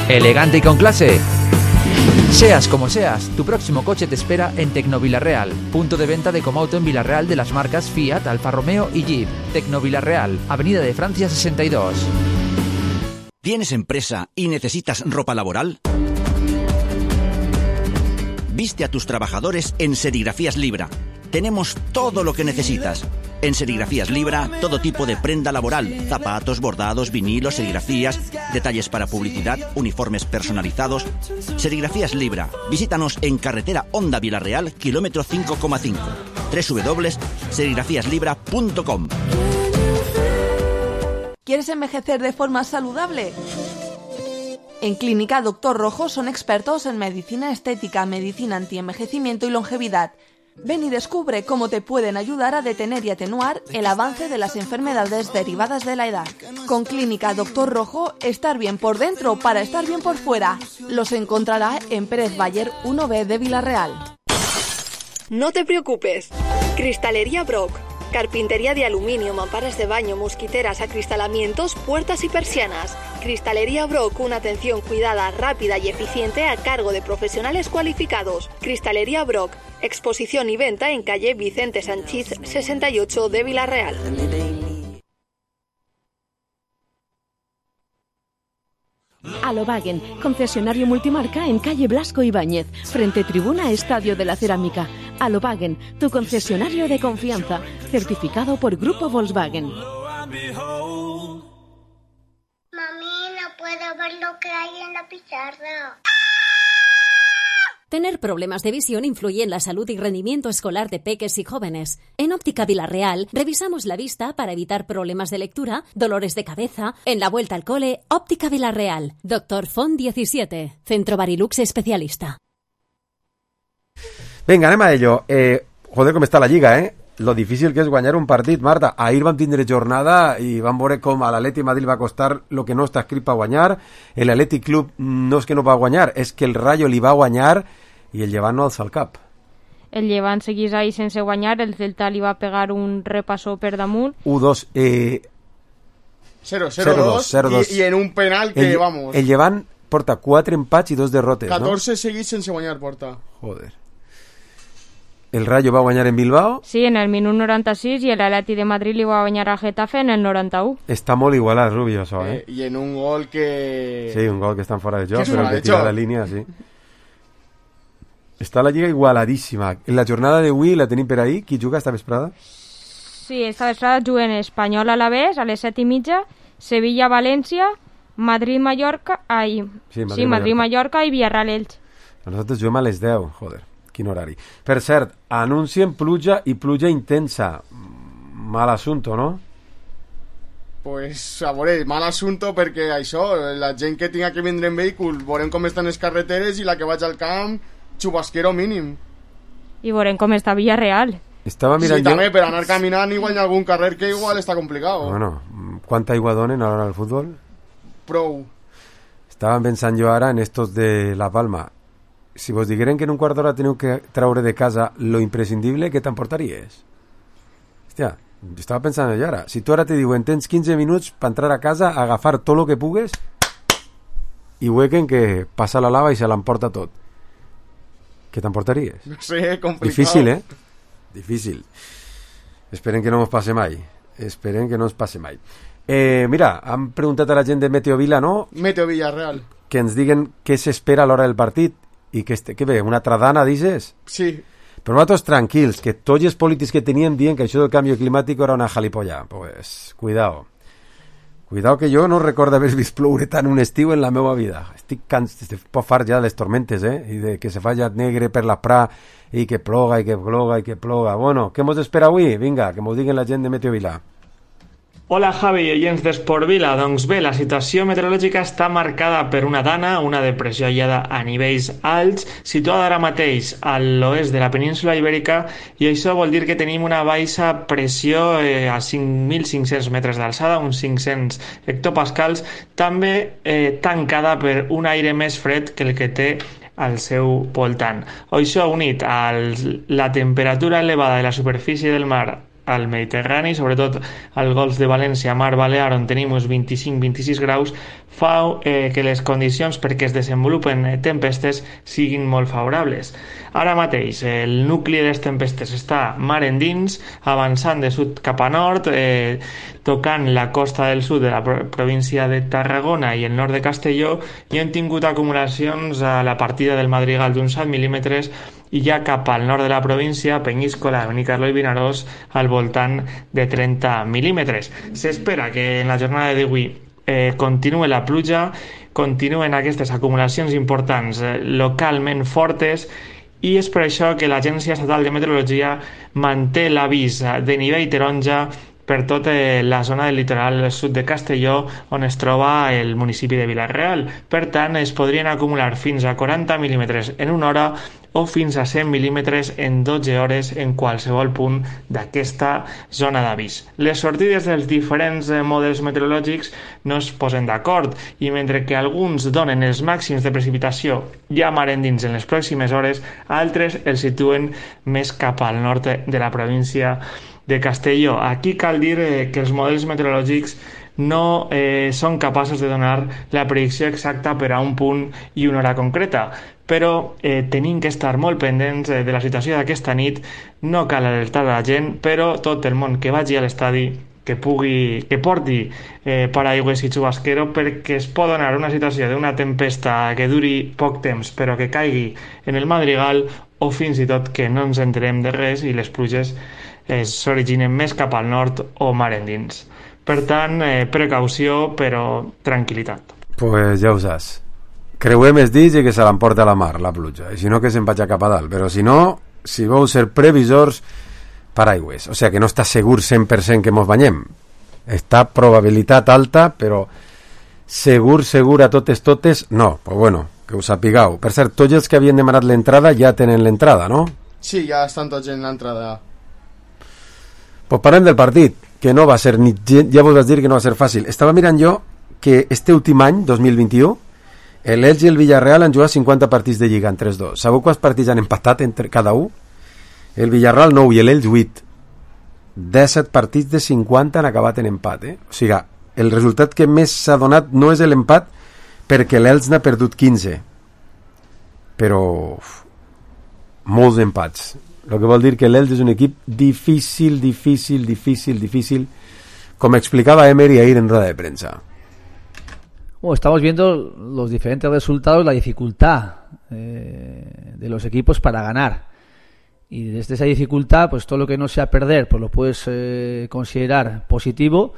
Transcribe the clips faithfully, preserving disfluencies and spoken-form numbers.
elegante y con clase. Seas como seas, tu próximo coche te espera en Tecnovilarreal, punto de venta de Comauto en Villarreal de las marcas Fiat, Alfa Romeo y Jeep. Tecnovilarreal, Avenida de Francia sesenta y dos. ¿Tienes empresa y necesitas ropa laboral? Viste a tus trabajadores en Serigrafías Libra. Tenemos todo lo que necesitas. En Serigrafías Libra, todo tipo de prenda laboral, zapatos, bordados, vinilos, serigrafías, detalles para publicidad, uniformes personalizados. Serigrafías Libra. Visítanos en carretera Honda Villarreal, kilómetro cinco coma cinco. doble u doble u doble u punto serigrafías libra punto com. ¿Quieres envejecer de forma saludable? En Clínica Doctor Rojo son expertos en medicina estética, medicina antienvejecimiento y longevidad. Ven y descubre cómo te pueden ayudar a detener y atenuar el avance de las enfermedades derivadas de la edad. Con Clínica Doctor Rojo, estar bien por dentro para estar bien por fuera. Los encontrará en Pérez Bayer uno B de Villarreal. No te preocupes. Cristalería Brock. Carpintería de aluminio, mamparas de baño, mosquiteras, acristalamientos, puertas y persianas. Cristalería Brock, una atención cuidada, rápida y eficiente a cargo de profesionales cualificados. Cristalería Brock, exposición y venta en calle Vicente Sanchís sesenta y ocho de Villarreal. Alobagen, concesionario multimarca en calle Blasco Ibáñez, frente tribuna Estadio de la Cerámica. Alobagen, tu concesionario de confianza, certificado por Grupo Volkswagen. Mami, no puedo ver lo que hay en la pizarra. Tener problemas de visión influye en la salud y rendimiento escolar de peques y jóvenes. En Óptica Villarreal revisamos la vista para evitar problemas de lectura, dolores de cabeza. En la vuelta al cole, Óptica Villarreal. Doctor Font diecisiete, Centro Barilux especialista. Vinga, anem a ello. Eh, joder, com està la Lliga, eh? Lo difícil que és guanyar un partit, Marta. Ahir vam tindre jornada i vam veure com a l'Atleti Madrid va costar lo que no està escrit per guanyar. El Atleti Club no és que no va guanyar, és que el Rayo li va guanyar i el Llevant no alça el cap. El Llevant seguís ahí sense guanyar, el Celta li va pegar un repassó per damunt. u dos, eh... cero dos, i, i en un penal que, el, vamos... El Llevant porta quatre empats i dos derrotes, catorze no? seguits sense guanyar porta. Joder. El Rayo va guanyar en Bilbao? Sí, en el minut noranta-sis, i l'Atleti de Madrid li va guanyar a Getafe en el noranta-u. Està molt igualat, Rubio, això, eh? eh? I en un gol que... Sí, un gol que està fora de joc, però el que tira la línia, sí. Està la Lliga igualadíssima. En la jornada d'avui la tenim per ahí. Qui juga esta vesprada? Sí, esta vesprada juguen Espanyol Alavés a les set i mitja, Sevilla-València, Madrid-Mallorca... Ai, sí, Madrid-Mallorca sí, Madrid, i Villarreal-Elx. Nosaltres juguem a les deu, joder, quin horari. Per cert, anuncien pluja i pluja intensa. Mal assunto, no? Pues, a veure, mal assunto perquè això, la gent que tinga que vindre en vehícul, veurem com estan les carreteres i la que vaig al camp, xubasquero mínim. I veurem com està Villarreal. Estava mirant sí, jo... també, per anar caminant igual hi ha algun carrer que igual està complicat. Bueno, quanta aigua donen ara al futbol? Prou. Estava pensant jo ara en estos de La Palma. Si vos digueren que en un quart d'hora teniu que traure de casa lo imprescindible, què t'emportaries? Hòstia, jo estava pensant jo ara. Si tu ara te diuen tens quinze minuts per entrar a casa, agafar tot lo que pugues i huequen que passa la lava i se l'emporta tot. Què t'emportaries? No sé, complicat. Difícil, eh? Difícil. Esperen que no ens passe mai. Esperen que no ens passe mai. Eh, mira, han preguntat a la gent de Meteo Vila, no? Meteo Villarreal. Que ens diguen què s'espera a l'hora del partit i que, este, que bé, una tradana, dices? Sí. Però nosaltres tranquils, que tots els polítics que tenien dient que això del canvi climàtic era una jalipolla. Pues, cuidao. Cuidao que jo no recordo haver vist ploure tant un estiu en la meva vida. Estic cansat, estic poc fart ja de les tormentes, eh? I de que se falla negre per la pra i que ploga i que ploga i que ploga. Bueno, què mos espera avui? Vinga, que mos diguen la gent de Meteo Vila. Hola Javi i oients d'Esport Vila. Doncs bé, la situació meteorològica està marcada per una dana, una depressió aïllada a nivells alts, situada ara mateix a l'oest de la península Ibèrica, i això vol dir que tenim una baixa pressió eh, a cinc mil cinc-cents metres d'alçada, uns cinc-cents hectopascals, també eh, tancada per un aire més fred que el que té al seu voltant. Això unit a la temperatura elevada de la superfície del mar al Mediterrani, sobretot al Golf de València, Mar Balear, on tenim uns vint-i-cinc a vint-i-sis graus, fa eh, que les condicions perquè es desenvolupen tempestes siguin molt favorables. Ara mateix el nucli de les tempestes està mar endins, avançant de sud cap a nord, eh, tocant la costa del sud de la província de Tarragona i el nord de Castelló, i hem tingut acumulacions a la partida del Madrigal d'uns set mil·límetres i ja cap al nord de la província, Penyíscola, Benicarló i Vinaròs, al voltant de trenta mil·límetres. S'espera que en la jornada d'avui eh, continue la pluja, continuen aquestes acumulacions importants eh, localment fortes, i és per això que l'Agència Estatal de Meteorologia manté l'avís de nivell taronja per tota la zona del litoral sud de Castelló, on es troba el municipi de Vila-real. Per tant, es podrien acumular fins a quaranta mil·límetres en una hora o fins a cent mil·límetres en dotze hores en qualsevol punt d'aquesta zona d'avís. Les sortides dels diferents models meteorològics no es posen d'acord, i mentre que alguns donen els màxims de precipitació ja mar endins en les pròximes hores, altres els situen més cap al nord de la província de Castelló. Aquí cal dir eh, que els models meteorològics no eh, són capaços de donar la predicció exacta per a un punt i una hora concreta, però eh, tenim que estar molt pendents eh, de la situació d'aquesta nit. No cal alertar a la gent, però tot el món que vagi a l'estadi que pugui, que porti eh, paraigües i xubasquero, perquè es pot donar una situació d'una tempesta que duri poc temps però que caigui en el Madrigal, o fins i tot que no ens enterem de res i les pluges s'originen més cap al nord o mar endins. Per tant, eh, precaució, però tranquil·litat. Pues ja ho saps. Creuem els dits i que se l'emporta a la mar, la pluja. I si no, que se'n vagi cap a dalt. Però si no, si vau ser previsors, paraigües. O sea, que no està segur cent per cent que mos banyem. Està probabilitat alta, però segur, segur a totes, totes, no. Pues bueno, que us sapigueu. Per cert, tots els que havien demanat l'entrada ja tenen l'entrada, no? Sí, ja estan tots en l'entrada. Pues parlem del partit, que no va ser ni, ja vos vaig dir que no va ser fàcil. Estava mirant jo que este últim any, dos mil vint-i-u, l'Elx i el Villarreal han jugat cinquanta partits de Lliga entre els dos. Sabeu quants partits han empatat entre cada un? El Villarreal nou i l'Elx vuit. disset partits de cinquanta han acabat en empat, eh? O sigui, el resultat que més s'ha donat no és l'empat, perquè l'Elx n'ha perdut quinze. Però uf, molts empats. Lo que vol dir que l'Elx és un equip difícil, difícil, difícil, difícil, como explicaba Emery ahí en rueda de prensa. Bueno, estamos viendo los diferentes resultados, la dificultad eh, de los equipos para ganar. Y desde esa dificultad, pues todo lo que no sea perder, pues lo puedes eh, considerar positivo,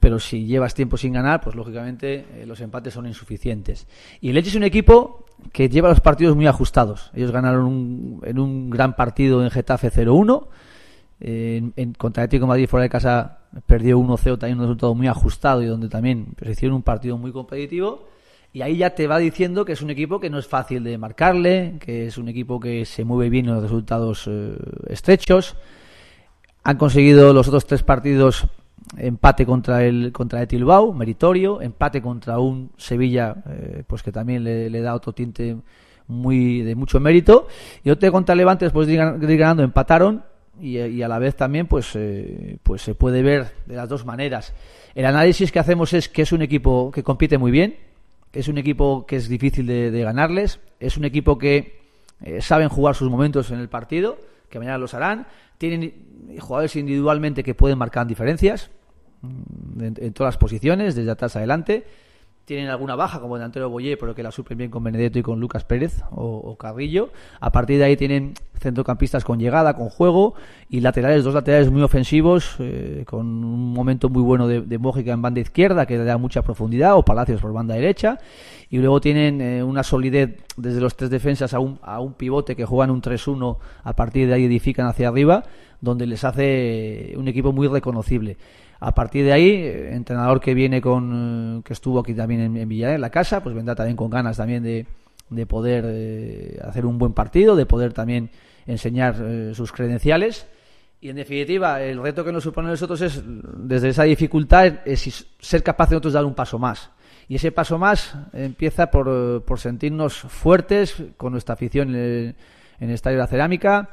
pero si llevas tiempo sin ganar, pues lógicamente eh, los empates son insuficientes. Y el Elche es un equipo que lleva los partidos muy ajustados. Ellos ganaron un, en un gran partido en Getafe cero uno, en, en, contra Atlético de Madrid fuera de casa perdió uno cero, también un resultado muy ajustado, y donde también pues, hicieron un partido muy competitivo. Y ahí ya te va diciendo que es un equipo que no es fácil de marcarle, que es un equipo que se mueve bien en los resultados eh, estrechos. Han conseguido los otros tres partidos empate contra el contra el Bilbao, meritorio, empate contra un Sevilla eh, pues que también le, le da otro tinte muy de mucho mérito, y otro contra Levante después de ir, de ir ganando empataron, y, y a la vez también pues eh, pues se puede ver de las dos maneras. El análisis que hacemos es que es un equipo que compite muy bien, es un equipo que es difícil de, de ganarles, es un equipo que eh, saben jugar sus momentos en el partido, que mañana los harán, tienen jugadores individualmente que pueden marcar diferencias en, en todas las posiciones, desde atrás adelante. Tienen alguna baja como el delantero Boyer, pero que la suplen bien con Benedetto y con Lucas Pérez o, o Carrillo. A partir de ahí tienen centrocampistas con llegada, con juego, y laterales, dos laterales muy ofensivos, eh, con un momento muy bueno de, de Mójica en banda izquierda, que le da mucha profundidad, o Palacios por banda derecha. Y luego tienen eh, una solidez desde los tres defensas a un, a un pivote que juegan un tres uno, a partir de ahí edifican hacia arriba, donde les hace un equipo muy reconocible. A partir de ahí, entrenador que viene con, que estuvo aquí también en, en Villarreal, en la casa, pues vendrá también con ganas también de, de poder eh, hacer un buen partido, de poder también enseñar eh, sus credenciales. Y en definitiva, el reto que nos supone a nosotros es, desde esa dificultad, es ser capaz de nosotros dar un paso más. Y ese paso más empieza por, por sentirnos fuertes con nuestra afición en el, en el Estadio de la Cerámica,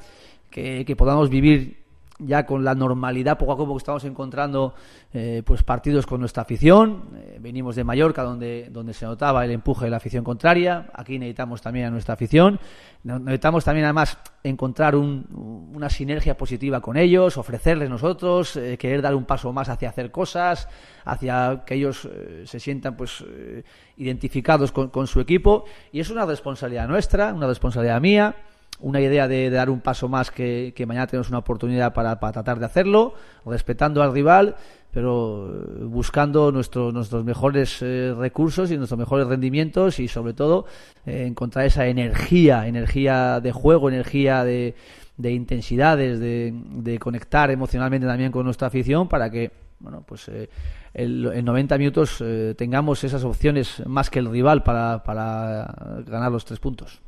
que, que podamos vivir ya con la normalidad poco a poco que estamos encontrando eh, pues partidos con nuestra afición. Eh, venimos de Mallorca, donde, donde se notaba el empuje de la afición contraria. Aquí necesitamos también a nuestra afición. Necesitamos también además encontrar un, una sinergia positiva con ellos, ofrecerles nosotros, eh, querer dar un paso más hacia hacer cosas, hacia que ellos eh, se sientan pues eh, identificados con, con su equipo. Y es una responsabilidad nuestra, una responsabilidad mía, una idea de, de dar un paso más, que, que mañana tenemos una oportunidad para, para tratar de hacerlo, respetando al rival, pero buscando nuestro, nuestros mejores eh, recursos y nuestros mejores rendimientos, y sobre todo eh, encontrar esa energía, energía de juego, energía de, de intensidades, de, de conectar emocionalmente también con nuestra afición, para que bueno pues eh, el, en noventa minutos eh, tengamos esas opciones más que el rival para, para ganar los tres puntos.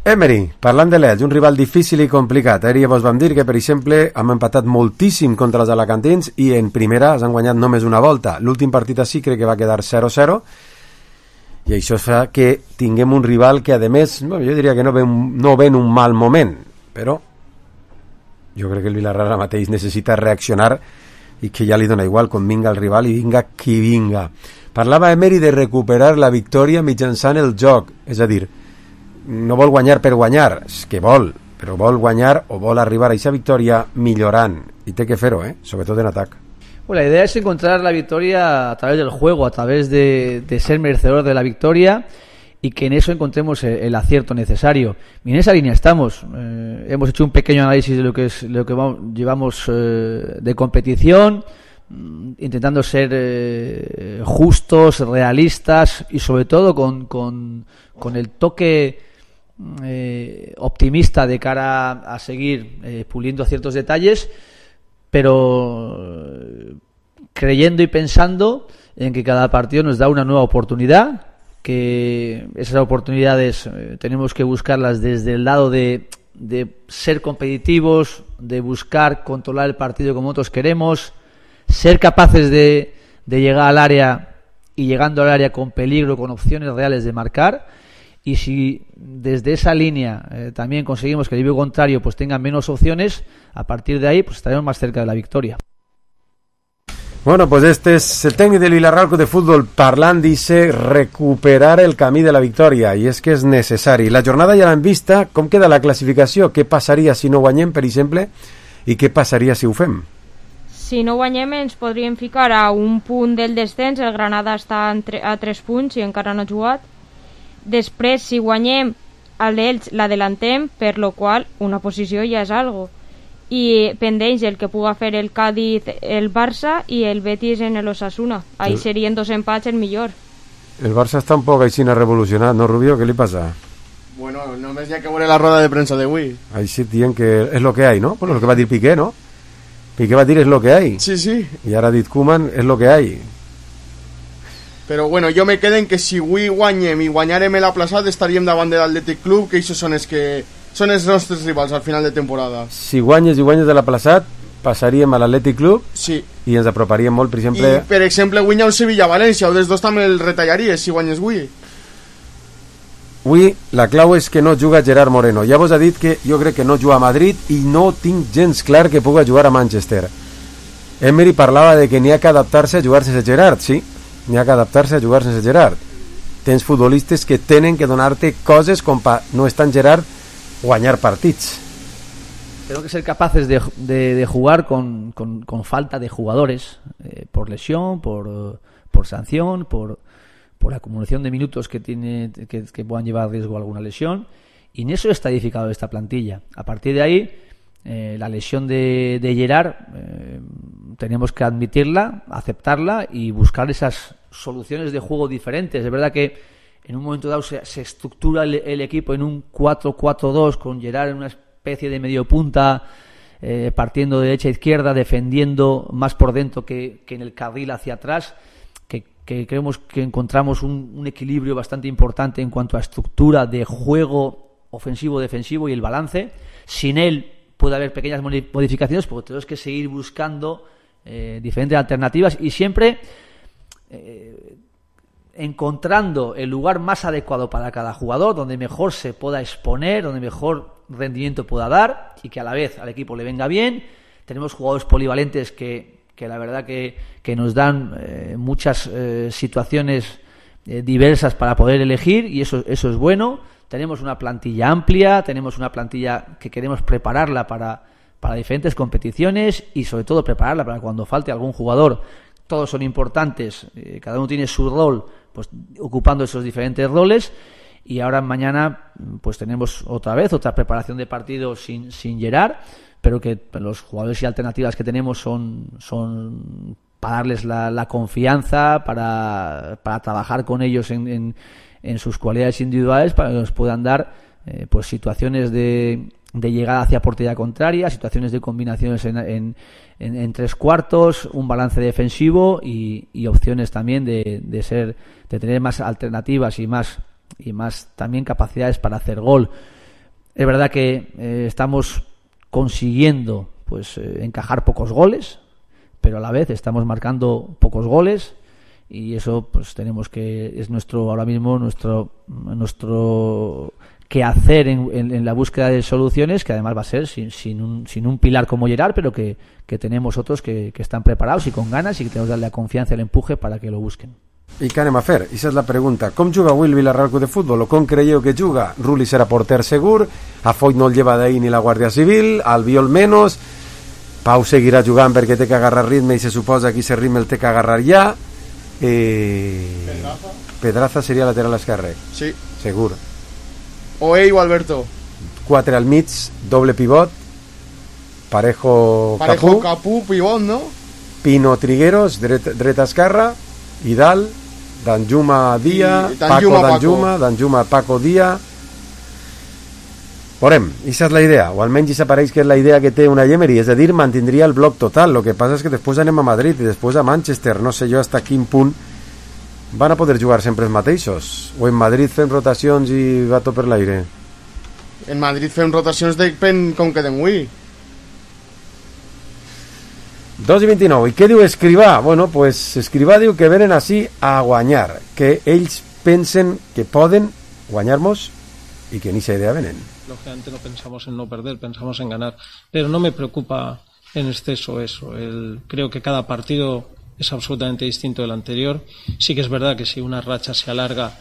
Emery, parlant de l'Elx, un rival difícil i complicat. Ahir ja vos vam dir que, per exemple, hem empatat moltíssim contra els alacantins i en primera han guanyat només una volta. L'últim partit així crec que va quedar zero zero i això fa que tinguem un rival que, a més, jo diria que no ve, un, no ve en un mal moment, però jo crec que el Villarreal ara mateix necessita reaccionar i que ja li dona igual quan vinga el rival i vinga qui vinga. Parlava Emery de recuperar la victòria mitjançant el joc, és a dir, no vol guanyar per guanyar, és que vol, però vol guanyar o vol arribar a aquesta victòria millorant, i té que fer-ho, eh? Sobretot en atac. Bueno, la idea es encontrar la victoria a través del juego, a través de, de ser merecedor de la victoria, y que en eso encontremos el, el acierto necesario. Y en esa línea estamos. Eh, hemos hecho un pequeño análisis de lo que es lo que vamos, llevamos eh, de competición, intentando ser eh, justos, realistas y sobre todo con, con, con el toque eh, optimista de cara a seguir eh, puliendo ciertos detalles, pero eh, creyendo y pensando en que cada partido nos da una nueva oportunidad, que esas oportunidades eh, tenemos que buscarlas desde el lado de, de ser competitivos, de buscar controlar el partido como nosotros queremos, ser capaces de, de llegar al área y llegando al área con peligro, con opciones reales de marcar. Y si desde esa línea eh, también conseguimos que el equipo contrario pues tenga menos opciones, a partir de ahí pues estaremos más cerca de la victoria. Bueno, pues este es el técnico del Villarreal de Fútbol parlant, dice recuperar el camí de la victòria, i és que és necessari. La jornada ja l'hem vista, com queda la classificació? Què passaria si no guanyem, per exemple, i què passaria si ho fem? Si no guanyem ens podríem ficar a un punt del descens, el Granada està a tres punts i encara no ha jugat. Després, si guanyem, a l'Elx l'adelantem, per lo qual una posició ja és algo. I pendeix el que puga fer el Cádiz, el Barça i el Betis en l'Osasuna. Ahí sí. Serien dos empats el millor. El Barça està un poc així revolucionat, no, Rubio? Què li passa? Bueno, només hi ha que veure la roda de premsa d'avui. Així dient que és lo que hay, ¿no? Bueno, lo que va dir Piqué, ¿no? Piqué va dir és lo que hay. Sí, sí. I ara ha dit Koeman és lo que hay. Però bueno, jo me queden que si avui guanyem i guanyarem l'aplaçat estaríem davant de l'Atlètic Club, que això són els que són els nostres rivals al final de temporada. Si guanyes i guanyes de l'aplaçat, passaríem a l'Atlètic Club, sí, i ens aproparíem molt, per exemple... I, per exemple, guanya el Sevilla-València, o dels dos també el retallaries si guanyes avui. Avui la clau és que no juga Gerard Moreno. Ja vos ha dit que jo crec que no juga a Madrid i no tinc gens clar que puga jugar a Manchester. Emery parlava de que n'hi ha que adaptar-se a jugar sense Gerard, sí, n'hi ha que adaptar-se a jugar sense Gerard. Tens futbolistes que tenen que donar-te coses com pa no estar en Gerard guanyar partits. Tenemos que ser capaces de, de, de jugar con, con, con falta de jugadores, eh, por lesión, por, por sanción, por, por acumulación de minutos que, tiene, que, que puedan llevar a riesgo alguna lesión, y en eso está edificado esta plantilla. A partir de ahí, eh, la lesión de, de Gerard, eh, tenemos que admitirla, aceptarla y buscar esas soluciones de juego diferentes. Es verdad que en un momento dado se, se estructura el, el equipo en un cuatro cuatro dos con Gerard en una especie de medio punta, eh, partiendo de derecha a izquierda, defendiendo más por dentro que, que en el carril hacia atrás, que, que creemos que encontramos un, un equilibrio bastante importante en cuanto a estructura de juego ofensivo-defensivo y el balance. Sin él puede haber pequeñas modificaciones porque tenemos que seguir buscando eh, diferentes alternativas y siempre... Eh, encontrando el lugar más adecuado para cada jugador, donde mejor se pueda exponer, donde mejor rendimiento pueda dar y que a la vez al equipo le venga bien, tenemos jugadores polivalentes que, que la verdad que, que nos dan eh, muchas eh, situaciones eh, diversas para poder elegir, y eso, eso es bueno. Tenemos una plantilla amplia, tenemos una plantilla que queremos prepararla para, para diferentes competiciones, y sobre todo prepararla para cuando falte algún jugador. Todos son importantes, eh, cada uno tiene su rol, pues ocupando esos diferentes roles. Y ahora mañana pues tenemos otra vez otra preparación de partido sin, sin Gerard, pero que los jugadores y alternativas que tenemos son, son para darles la, la confianza, para, para trabajar con ellos en, en, en sus cualidades individuales, para que nos puedan dar eh, pues situaciones de, de llegada hacia portería contraria, situaciones de combinaciones en, en, en, en tres cuartos, un balance defensivo y, y opciones también de, de ser de tener más alternativas y más y más también capacidades para hacer gol. Es verdad que eh, estamos consiguiendo pues eh, encajar pocos goles, pero a la vez estamos marcando pocos goles, y eso pues tenemos que es nuestro ahora mismo nuestro nuestro quehacer en, en, en la búsqueda de soluciones, que además va a ser sin, sin, un, sin un pilar como Gerard, pero que, que tenemos otros que, que están preparados y con ganas, y que tenemos que darle la confianza y el empuje para que lo busquen. I què anem a fer? Aquesta és la pregunta. Com juga avui el Villarreal Club de Futbol? O com creieu que juga? Rulli serà porter segur, a Foyt no el lleva d'ahir ni la Guàrdia Civil, Albiol menos, Pau seguirà jugant perquè té que agarrar ritme, i se suposa que ese ritme el té que agarrar ja. eh... Pedraza Pedraza seria lateral esquerre, sí, segur. Oey o Alberto, quatre al mig, doble pivot, Parejo, Parejo Capú, Capú pivot, no? Pino Trigueros, dret, dreta esquerra, Idal, Danjuma Dia, I Paco Danjuma, Danjuma, Paco. Danjuma Paco Dia. Veurem, aquesta és la idea, o almenys aquesta pareix que és la idea que té una Emery, és a dir, mantindria el bloc total. Lo que passa és que després anem a Madrid i després a Manchester, no sé jo hasta quin punt van a poder jugar sempre els mateixos, o en Madrid fem rotacions i va tot per l'aire. En Madrid fem rotacions depèn com quedem avui. dos i vint-i-nou. I què diu Escrivà? Bueno, pues Escrivà diu que venen així a guanyar, que ells pensen que poden guanyar-nos y que ni esa idea venen. Lógicamente no pensamos en no perder, pensamos en ganar, pero no me preocupa en exceso eso. El, creo que cada partido es absolutamente distinto del anterior. Sí que es verdad que si una racha se alarga,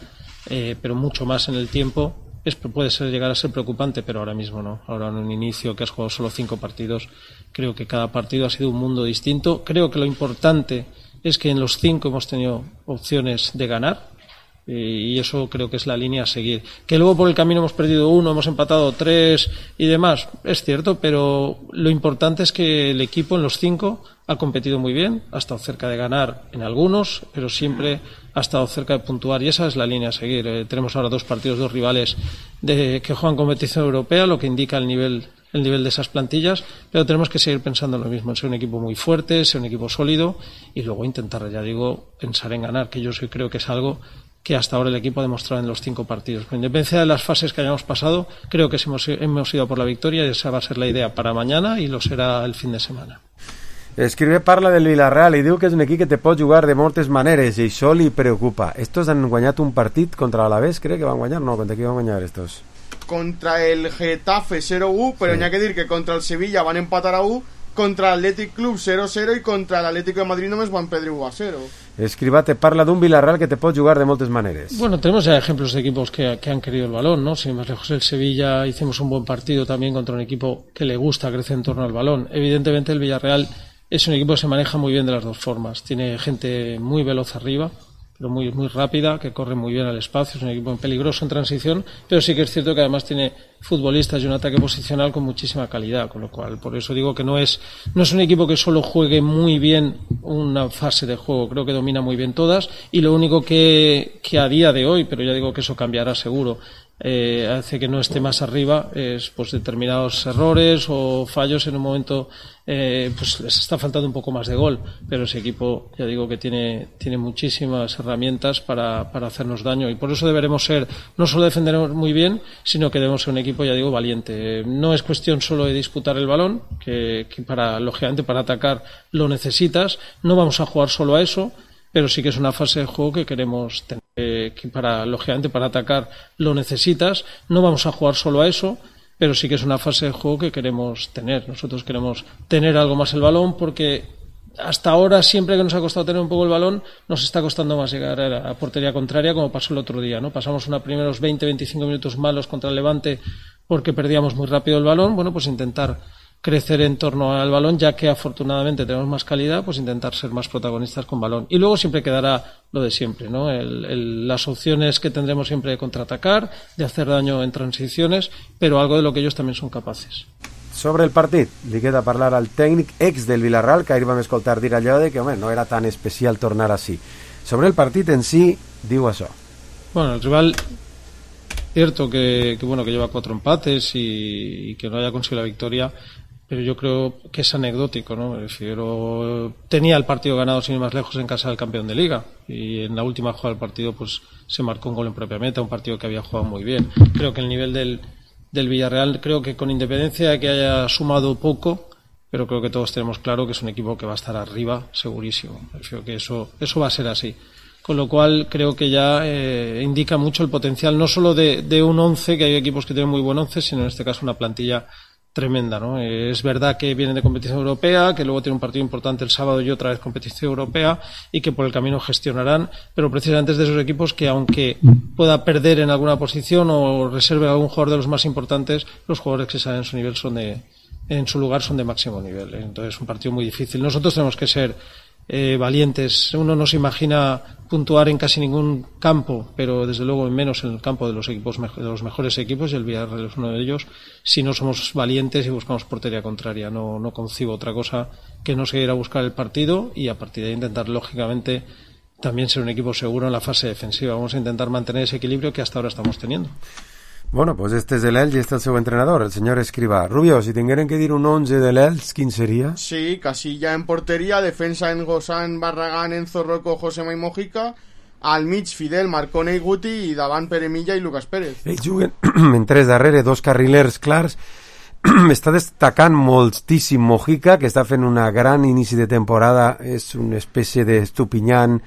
eh, pero mucho más en el tiempo, es, puede ser llegar a ser preocupante, pero ahora mismo no. Ahora en un inicio que has jugado solo cinco partidos, creo que cada partido ha sido un mundo distinto. Creo que lo importante es que en los cinco hemos tenido opciones de ganar, y eso creo que es la línea a seguir. Que luego por el camino hemos perdido uno, hemos empatado tres y demás, es cierto, pero lo importante es que el equipo en los cinco ha competido muy bien, ha estado cerca de ganar en algunos, pero siempre ha estado cerca de puntuar, y esa es la línea a seguir. Eh, tenemos ahora dos partidos, dos rivales de, que juegan competición europea, lo que indica el nivel el nivel de esas plantillas, pero tenemos que seguir pensando en lo mismo, en ser un equipo muy fuerte, ser un equipo sólido, y luego intentar, ya digo, pensar en ganar, que yo sí creo que es algo que hasta ahora el equipo ha demostrado en los cinco partidos. Con independencia de las fases que hayamos pasado, creo que hemos, hemos ido por la victoria, y esa va a ser la idea para mañana y lo será el fin de semana. Escribe parla del Villarreal i diu que és un equip que te pot jugar de moltes maneres, i això li preocupa. Estos han guanyat un partit contra l'Alavés, crec que van guanyar, no, contra qui van guanyar estos? Contra el Getafe cero uno, però sí. N'hi ha que dir que contra el Sevilla van empatar a uno, contra l'Atlètic Club cero cero i contra l'Atlético de Madrid només van perdre uno a cero. Escriba te parla d'un Villarreal que te pot jugar de moltes maneres. Bueno, tenemos ya ejemplos de equipos que, que han querido el balón, ¿no? Si más lejos el Sevilla hicimos un buen partido también contra un equipo que le gusta crecer en torno al balón. Evidentemente el Villarreal es un equipo que se maneja muy bien de las dos formas. Tiene gente muy veloz arriba, pero muy, muy rápida, que corre muy bien al espacio. Es un equipo peligroso en transición, pero sí que es cierto que además tiene futbolistas y un ataque posicional con muchísima calidad, con lo cual, por eso digo que no es, no es un equipo que solo juegue muy bien una fase de juego. Creo que domina muy bien todas, y lo único que, que a día de hoy, pero ya digo que eso cambiará seguro, Eh, hace que no esté más arriba es pues determinados errores o fallos en un momento, eh, pues les está faltando un poco más de gol, pero ese equipo ya digo que tiene, tiene muchísimas herramientas para, para hacernos daño, y por eso deberemos ser, no solo defender muy bien, sino que debemos ser un equipo, ya digo, valiente. No es cuestión solo de disputar el balón, que, que para, lógicamente para atacar lo necesitas, no vamos a jugar solo a eso, pero sí que es una fase de juego que queremos tener, eh, que para, lógicamente, para atacar lo necesitas. No vamos a jugar solo a eso, pero sí que es una fase de juego que queremos tener. Nosotros queremos tener algo más el balón porque hasta ahora, siempre que nos ha costado tener un poco el balón, nos está costando más llegar a la portería contraria, como pasó el otro día, ¿no? Pasamos unos primeros veinte a veinticinco minutos malos contra el Levante porque perdíamos muy rápido el balón. Bueno, pues intentar crecer en torno al balón, ya que afortunadamente tenemos más calidad, pues intentar ser más protagonistas con balón. Y luego siempre quedará lo de siempre, ¿no? El, el, las opciones que tendremos siempre de contraatacar, de hacer daño en transiciones, pero algo de lo que ellos también son capaces. Sobre el partit, li queda parlar al tècnic ex del Villarreal, que ahir vam escoltar dir allò de que home, no era tan especial tornar així. Sobre el partit en sí, diu això. Bueno, el rival, cierto que, que, bueno, que lleva cuatro empates y, y que no haya conseguido la victoria, pero yo creo que es anecdótico, ¿no? Me refiero, tenía el partido ganado sin ir más lejos en casa del campeón de Liga y en la última jugada del partido pues se marcó un gol en propia meta, un partido que había jugado muy bien. Creo que el nivel del del Villarreal, creo que con independencia de que haya sumado poco, pero creo que todos tenemos claro que es un equipo que va a estar arriba, segurísimo. Creo que eso, eso va a ser así. Con lo cual creo que ya eh, indica mucho el potencial, no solo de, de un once, que hay equipos que tienen muy buen once, sino en este caso una plantilla tremenda, ¿no? Eh, es verdad que vienen de competición europea, que luego tiene un partido importante el sábado y otra vez competición europea y que por el camino gestionarán, pero precisamente es de esos equipos que aunque pueda perder en alguna posición o reserve a algún jugador de los más importantes, los jugadores que salen en su nivel son de, en su lugar son de máximo nivel. Entonces es un partido muy difícil. Nosotros tenemos que ser eh, valientes. Uno no se imagina puntuar en casi ningún campo, pero desde luego menos en el campo de los equipos de los mejores equipos, y el Villarreal es uno de ellos, si no somos valientes y buscamos portería contraria. No, no concibo otra cosa que no seguir a buscar el partido y a partir de ahí intentar lógicamente también ser un equipo seguro en la fase defensiva. Vamos a intentar mantener ese equilibrio que hasta ahora estamos teniendo. Bueno, pues este és l'Elx i este és el seu entrenador, el senyor Escrivà. Rubio, si tingueren que dir un once de l'Elx, quin seria? Sí, Casilla en portería, defensa en Gozán, Barragán, Enzo Rocco, Josema i Mojica, al mig Fidel, Marcone i Guti, i davant Pere Milla i Lucas Pérez. Ells juguen en tres darrere, dos carrilers clars. Està destacant moltíssim Mojica, que està fent una gran inici de temporada, és una espècie d'Estupiñán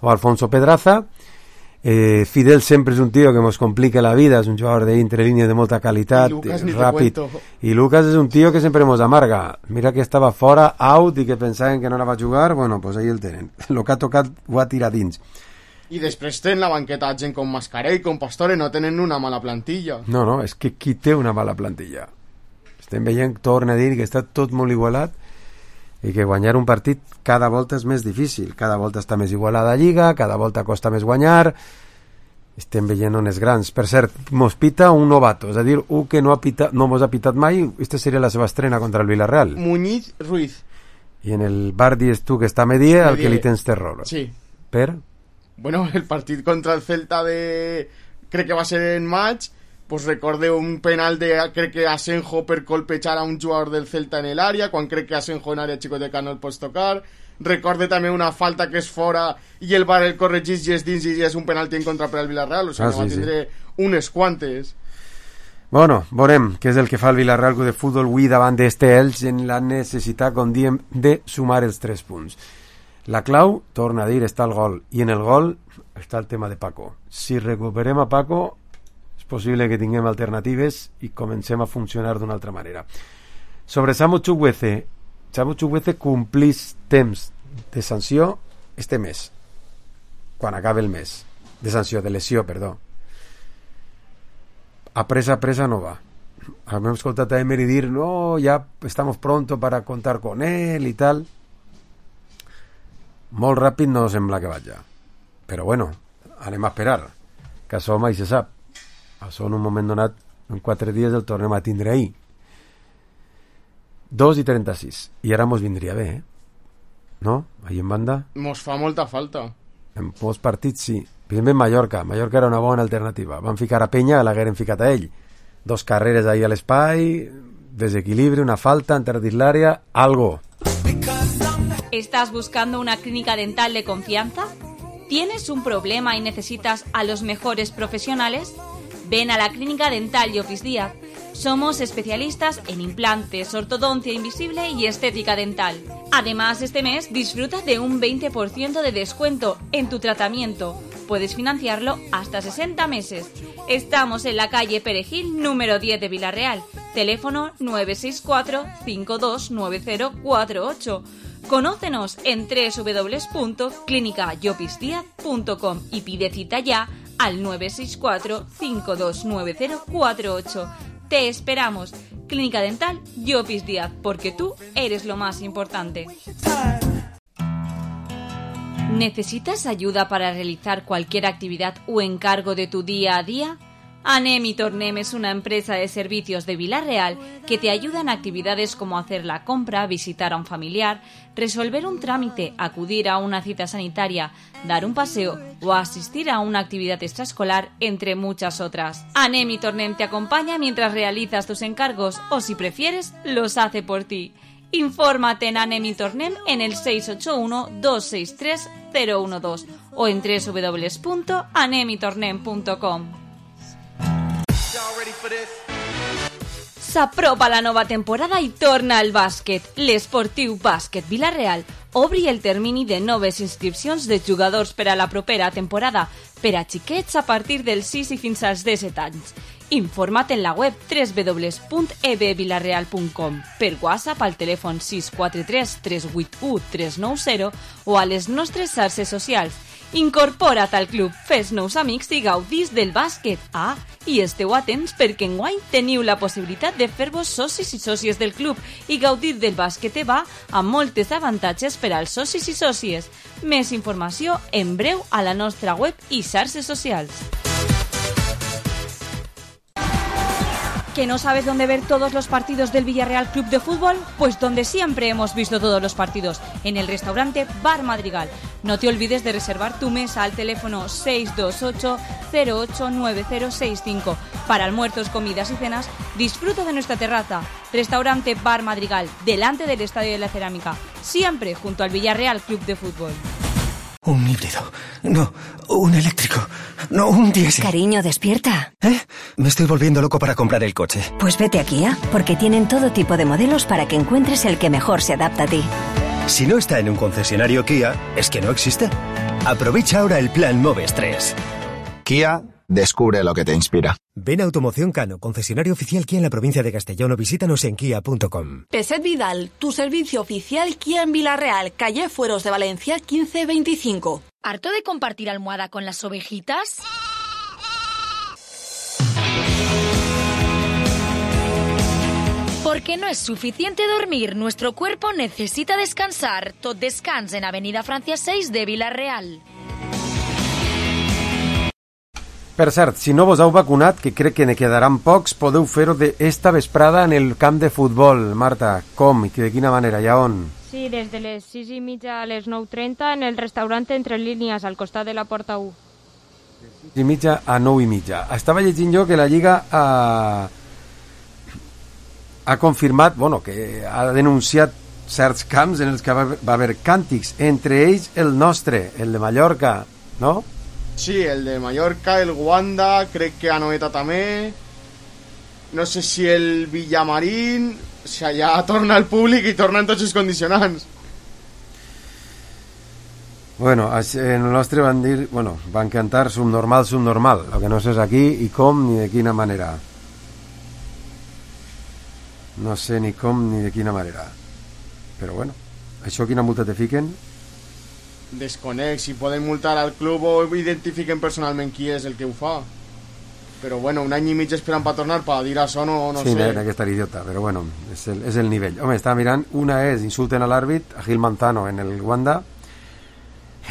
o Alfonso Pedraza. Eh, Fidel sempre és un tio que ens complica la vida, és un jugador d'intrelínia de molta qualitat, I ràpid, i Lucas és un tio que sempre ens amarga. Mira que estava fora, out, i que pensaven que no anava a jugar, bueno, pues ahí el tenen. El que ha tocat ho ha tirat dins. I després tenen la banqueta gent com Mascarell, com Pastore, no tenen una mala plantilla. No, no, és que qui té una mala plantilla? Estem veient, torna a dir que està tot molt igualat i que guanyar un partit cada volta és més difícil, cada volta està més igualada a Lliga, cada volta costa més guanyar. Estem veient ones grans. Per cert, mos pita un novato, és a dir, un que no ha pitat, no mos ha pitat mai. Esta seria la seva estrena contra el Villarreal. Muñiz Ruiz. I en el bar dius tu que està Medier, al que li tens terror. Sí. Per? Bueno, el partit contra el Celta de... crec que va ser en maig, pues recorde un penal de, crec que Asenjo per colpejar a un jugador del Celta en el área, quan crec que Asenjo en área xicoteca no el pots tocar. Recorde també una falta que és fora i el VAR el corregís i és dins i és un penalti en contra per al Villarreal, o sigui, ah, no va sí, tindre sí. unes quantes. Bueno, veurem què és el que fa el Villarreal de futbol avui davant d'este Elx en la necessitat, com diem, de sumar els tres punts. La clau, torna a dir, està el gol, i en el gol està el tema de Paco. Si recuperem a Paco, és possible que tinguem alternatives i comencem a funcionar d'una altra manera. Sobre Samu Chukwueze, Samu Chukwueze complís temps de sanció este mes, quan acabe el mes, de sanció, de lesió, perdó. A presa, a presa no va. Hem escoltat a Emery dir, no, ya estamos pronto para contar con él y tal. Molt ràpid no sembla que vaja. Però bueno, anem a esperar, que això mai se sap. Això en un moment donat, en quatre dies el tornem a tindre ahir. dos i trenta-sis. I ara mos vindria bé, eh? No? Ahí en banda. Mos fa molta falta. En molts partits sí. Per exemple, en Mallorca. Mallorca era una bona alternativa. Van ficar a Penya, l'hagueren ficat a ell. Dos carreres ahí a l'espai, desequilibri, una falta, entra dins l'àrea, algo. ¿Estás buscando una clínica dental de confianza? ¿Tienes un problema y necesitas a los mejores profesionales? Ven a la Clínica Dental y Office Díaz. Somos especialistas en implantes, ortodoncia invisible y estética dental. Además, este mes disfruta de un veinte por ciento de descuento en tu tratamiento. puedes financiarlo hasta sesenta meses. Estamos en la calle Perejil, número diez de Villarreal. Teléfono nueve seis cuatro, cinco dos nueve cero cuatro ocho. Conócenos en doble u doble u doble u punto clínica llopis díaz punto com y pide cita ya al nueve seis cuatro, cinco dos nueve cero cuatro ocho. Te esperamos. Clínica Dental Llopis Díaz, porque tú eres lo más importante. ¿Necesitas ayuda para realizar cualquier actividad o encargo de tu día a día? Anem y Tornem es una empresa de servicios de Vila-real que te ayuda en actividades como hacer la compra, visitar a un familiar, resolver un trámite, acudir a una cita sanitaria, dar un paseo o asistir a una actividad extraescolar, entre muchas otras. Anem y Tornem te acompaña mientras realizas tus encargos o, si prefieres, los hace por ti. Infórmate en Anem y Tornem en el seis ocho uno, dos seis tres, cero uno dos o en doble u doble u doble u punto anem y tornem punto com. S'apropa la nova temporada i torna al bàsquet. L'Esportiu Bàsquet Vila-real obri el termini de noves inscripcions de jugadors per a la propera temporada per a xiquets a partir dels sis i fins als disset anys. Informa't en la web doble u doble u doble u punt e b vilareal punt com, per WhatsApp al telèfon sis quatre tres, tres vuit u, tres nou zero o a les nostres xarxes socials. Incorpora't al club, fes nous amics i gaudís del bàsquet. Ah, i esteu atents perquè enguany teniu la possibilitat de fer-vos socis i sòcies del club i gaudir del bàsquet EVA amb moltes avantatges per als socis i sòcies. Més informació en breu a la nostra web i xarxes socials. ¿Que no sabes dónde ver todos los partidos del Villarreal Club de Fútbol? Pues donde siempre hemos visto todos los partidos, en el restaurante Bar Madrigal. No te olvides de reservar tu mesa al teléfono seis dos ocho, cero ocho nueve cero seis cinco. Para almuerzos, comidas y cenas, disfruta de nuestra terraza. Restaurante Bar Madrigal, delante del Estadio de la Cerámica, siempre junto al Villarreal Club de Fútbol. Un híbrido. No, un eléctrico. No, un diésel. Cariño, despierta. ¿Eh? Me estoy volviendo loco para comprar el coche. Pues vete a Kia, porque tienen todo tipo de modelos para que encuentres el que mejor se adapta a ti. Si no está en un concesionario Kia, es que no existe. Aprovecha ahora el plan Moves tres. Kia, descubre lo que te inspira. Ven a Automoción Cano, concesionario oficial Kia en la provincia de Castellón, o visítanos en kia punto com. Peset Vidal, tu servicio oficial Kia en Vila-real, calle Fueros de Valencia quince veinticinco. ¿Harto de compartir almohada con las ovejitas? Porque no es suficiente dormir, nuestro cuerpo necesita descansar. Tot descans en Avenida Francia seis de Vila-real. Per cert, si no vos heu vacunat, que crec que ne quedaran pocs, podeu fer-ho d'esta vesprada en el camp de futbol. Marta, com i de quina manera i a on? Sí, des de les sis i mitja a les nou trenta en el restaurant Entre Línies, al costat de la Porta u. De sis i mitja a nou i mitja. Estava llegint jo que la Lliga ha, ha confirmat, bueno, que ha denunciat certs camps en els que va, va haver càntics, entre ells el nostre, el de Mallorca, no? Sí, el de Mallorca, el Wanda, crec que Anoeta també. No sé si el Villamarín. O sigui, ja torna el públic i tornen tots els condicionants. Bueno, en el nostre van dir, bueno, van cantar subnormal, subnormal. Lo que no sé és aquí i com ni de quina manera. No sé ni com ni de quina manera. Però bueno, això quina multa te fiquen? Desconec, si poden multar al club o identifiquen personalment qui és el que ho fa. Però bueno, un any i mig esperant per tornar per dir això, no, no sí, sé. Sí, aquesta idiota, però bueno, és el, és el nivell. Home, estava mirant, una és insulten a l'àrbit, a Gil Manzano en el Wanda,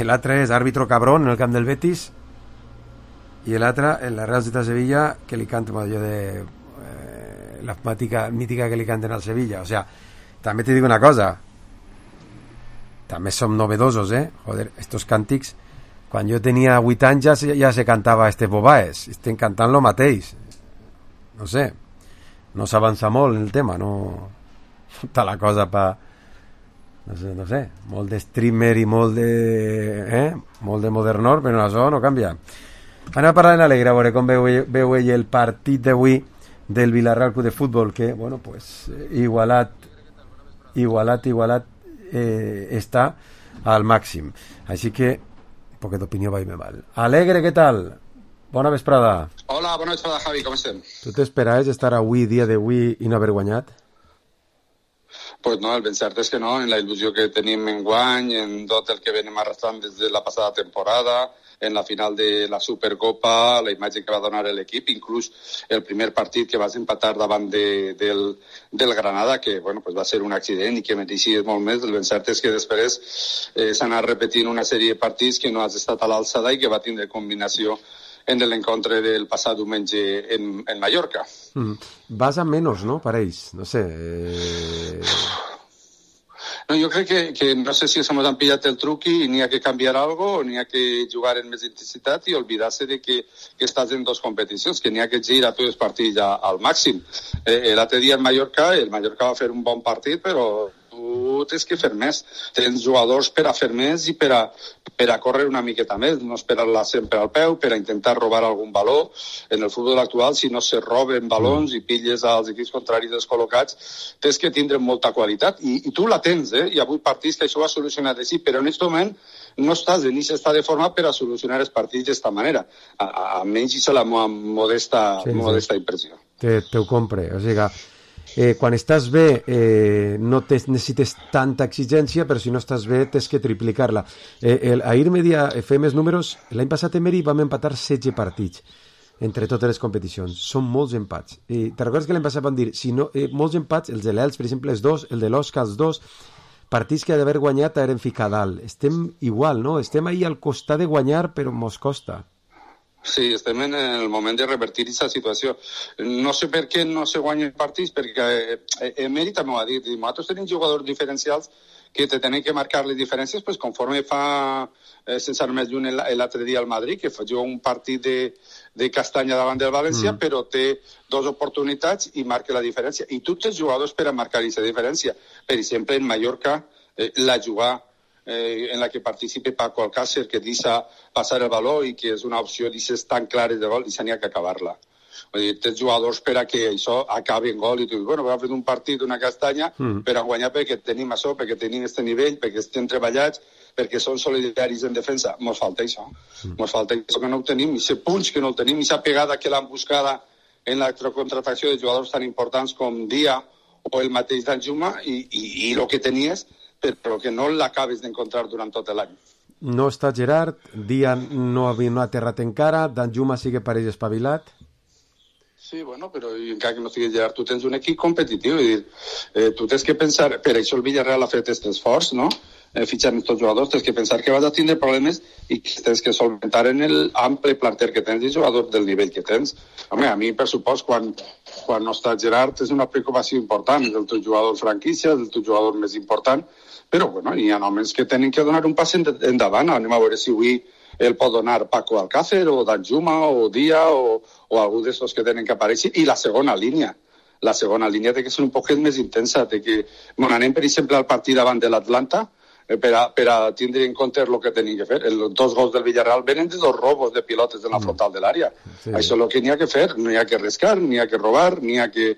l'altra és àrbitro cabrón en el camp del Betis, i l'altra en la Real Societat de Sevilla, que li canten allò de eh, la mítica, mítica que li canten al Sevilla. O sea, també te dic una cosa, també som novedosos, eh? Joder, estos càntics, quan jo tenia vuit anys ja se, ja se cantava este Bobaes, estem cantant lo mateix. No sé, no s'avança molt en el tema, no tota la cosa pa no sé, no sé, molt de streamer i molt de eh? molt de modernor, però això no canvia. Anem a parlar en alegre, a veure com veu, veu ell el partit d'avui del Villarreal Club de Futbol, que, bueno, pues igualat igualat, igualat eh, està al màxim. Així que poquet d'opinió va i me val. Alegre, què tal? Bona vesprada. Hola, bona vesprada, Javi, com estem? Tu t'esperaves estar avui, dia d'avui, i no haver guanyat? Pues no, el ben cert és que no, en la il·lusió que tenim en guany, en tot el que venim arrastrant des de la passada temporada, en la final de la Supercopa, la imatge que va donar l'equip, inclús el primer partit que vas empatar davant de, del, del Granada, que bueno, pues va ser un accident i que mereixia molt més. El ben cert és que després eh, s'ha anat repetint una sèrie de partits que no has estat a l'alçada i que va tindre combinació en l'encontre del passat diumenge en, en Mallorca. Mm. Vas a menys, no? Pareix, no sé... Eh... No, jo crec que, que no sé si s'han pillat el truc i n'hi ha que canviar algo o n'hi ha que jugar en més intensitat i oblidar-se de que, que estàs en dos competicions, que n'hi ha que girar tots els partits a, al màxim. Eh, L'altre dia en Mallorca, el Mallorca va fer un bon partit, però tu tens que fer més. Tens jugadors per a fer més i per a, per a córrer una miqueta més, no esperar-la sempre al peu, per a intentar robar algun valor. En el futbol actual, si no se roben balons i pilles als equips contraris descol·locats, tens que tindre molta qualitat. I, i tu la tens, eh? Hi ha hagut partits que això ho ha solucionat així, però en aquest moment no estàs en aquest estat de forma per a solucionar els partits d'esta manera. A, a, a menys és la meva modesta, sí, modesta sí. impressió. Te, te ho compre, o sigui... Eh, quan estàs bé eh, no te necessites tanta exigència, però si no estàs bé tens que triplicar-la. Eh, el, ahir media fem els números, l'any passat en Meri vam empatar setze partits entre totes les competicions. Són molts empats. Eh, te recordes que l'any passat vam dir si no, eh, molts empats, els de l'Elx, per exemple, els dos, el de l'Osca, els dos, partits que d'haver guanyat eren ficar dalt. Estem igual, no? Estem ahí al costat de guanyar, però mos costa. Sí, estem en el moment de revertir aquesta situació. No sé per què no se guanyen partits, perquè eh, Emery també ho ha dit. Nosaltres tenim jugadors diferencials que te tenen que marcar les diferències pues, conforme fa, eh, sense anar més lluny, l'altre dia al Madrid, que fa un partit de, de castanya davant del València, mm. però té dues oportunitats i marca la diferència. I tu tens jugadors per a marcar aquesta diferència. Per exemple, en Mallorca, eh, la jugar Eh, en la que participe Paco Alcácer, que deixa passar el valor i que és una opció d'aixes tan clares de gol, i s'hi ha que acabar-la. Vull dir, tens jugadors per a que això acabi en gol i tu dius, bueno, vam fer un partit, una castanya, mm. per a guanyar perquè tenim això, perquè tenim aquest nivell, perquè estem treballats, perquè són solidaris en defensa. Mos falta això. Mm. Mos falta això que no ho tenim, i aquest punx que no el tenim, i aquesta pegada que l'han buscada en la contratació de jugadors tan importants com Dia o el mateix Danjuma, i, i, i el que tenies, però que no l'acabes d'encontrar durant tot l'any. No està Gerard, Dia no, no ha aterrat encara, Danjuma sí que pareix espavilat. Sí, bueno, però encara que no sigui Gerard, tu tens un equip competitiu, i dir, eh, tu tens que pensar, per això el Villarreal ha fet aquest esforç, no?, eh, fitxant aquests jugadors, tens que pensar que vas a tindre problemes i que tens que solventar en el ample planter que tens i jugadors del nivell que tens. Home, a mi, per supost, quan, quan no està Gerard, és una preocupació important, és el teu jugador franquícia, és el teu jugador més important, però bueno, hi ha homes que tenen que donar un pas endavant. Anem a veure si avui el pot donar Paco Alcácer o Danjuma o Dia o, o algú d'estos que tenen que aparèixer. I la segona línia. La segona línia té que ser un poquet més intensa. Té que... Bueno, anem, per exemple, al partit davant de l'Atlanta eh, per, a, per a tindre en compte el que tenim que fer. Els dos gols del Villarreal venen de dos robos de pilotes en la frontal de l'àrea. Sí. Això és el que n'hi ha que fer. No hi ha que arriscar, n'hi ha que robar, n'hi ha que,